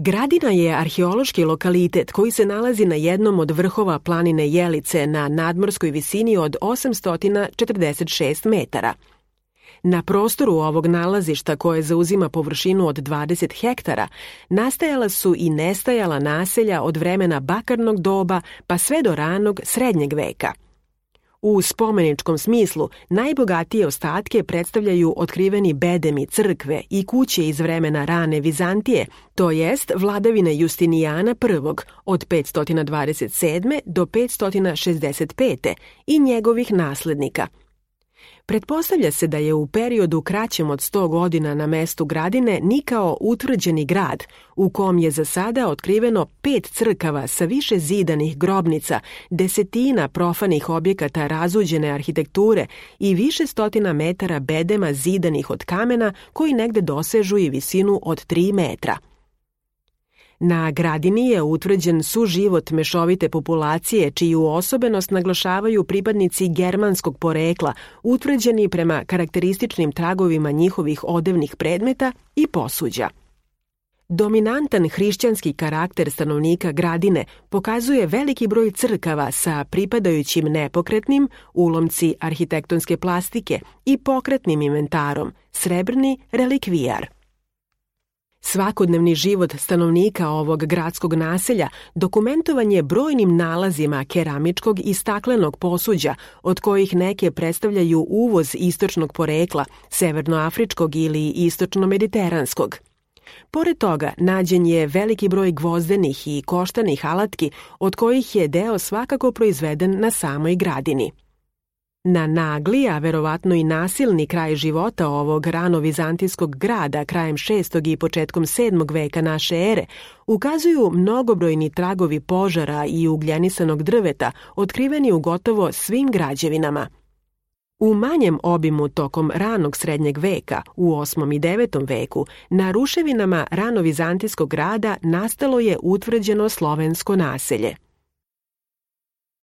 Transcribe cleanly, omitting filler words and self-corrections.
Gradina je arheološki lokalitet koji se nalazi na jednom od vrhova planine Jelice na nadmorskoj visini od 846 metara. Na prostoru ovog nalazišta, koje zauzima površinu od 20 hektara, nastajala su i nestajala naselja od vremena bakarnog doba pa sve do ranog srednjeg veka. U spomeničkom smislu najbogatije ostatke predstavljaju otkriveni bedemi crkve i kuće iz vremena rane Vizantije, to jest vladavine Justinijana I od 527. do 565. i njegovih naslednika. Pretpostavlja se da je u periodu kraćem od 100 godina na mestu Gradine nikao utvrđeni grad, u kom je za sada otkriveno 5 crkava sa više zidanih grobnica, desetina profanih objekata razuđene arhitekture i više stotina metara bedema zidanih od kamena koji negde dosežu i visinu od 3 metra. Na Gradini je utvrđen suživot mešovite populacije, čiju osobenost naglašavaju pripadnici germanskog porekla, utvrđeni prema karakterističnim tragovima njihovih odevnih predmeta i posuđa. Dominantan hrišćanski karakter stanovnika Gradine pokazuje veliki broj crkava sa pripadajućim nepokretnim, ulomci arhitektonske plastike i pokretnim inventarom, srebrni relikvijar. Svakodnevni život stanovnika ovog gradskog naselja dokumentovan je brojnim nalazima keramičkog i staklenog posuđa, od kojih neke predstavljaju uvoz istočnog porekla, severnoafričkog ili istočno-mediteranskog. Pored toga, nađen je veliki broj gvozdenih i koštanih alatki, od kojih je deo svakako proizveden na samoj Gradini. Na nagli, a verovatno i nasilni kraj života ovog rano-vizantijskog grada krajem 6. i početkom 7. veka naše ere ukazuju mnogobrojni tragovi požara i ugljenisanog drveta otkriveni u gotovo svim građevinama. U manjem obimu tokom ranog srednjeg veka, u 8. i 9. veku, na ruševinama rano-vizantijskog grada nastalo je utvrđeno slovensko naselje.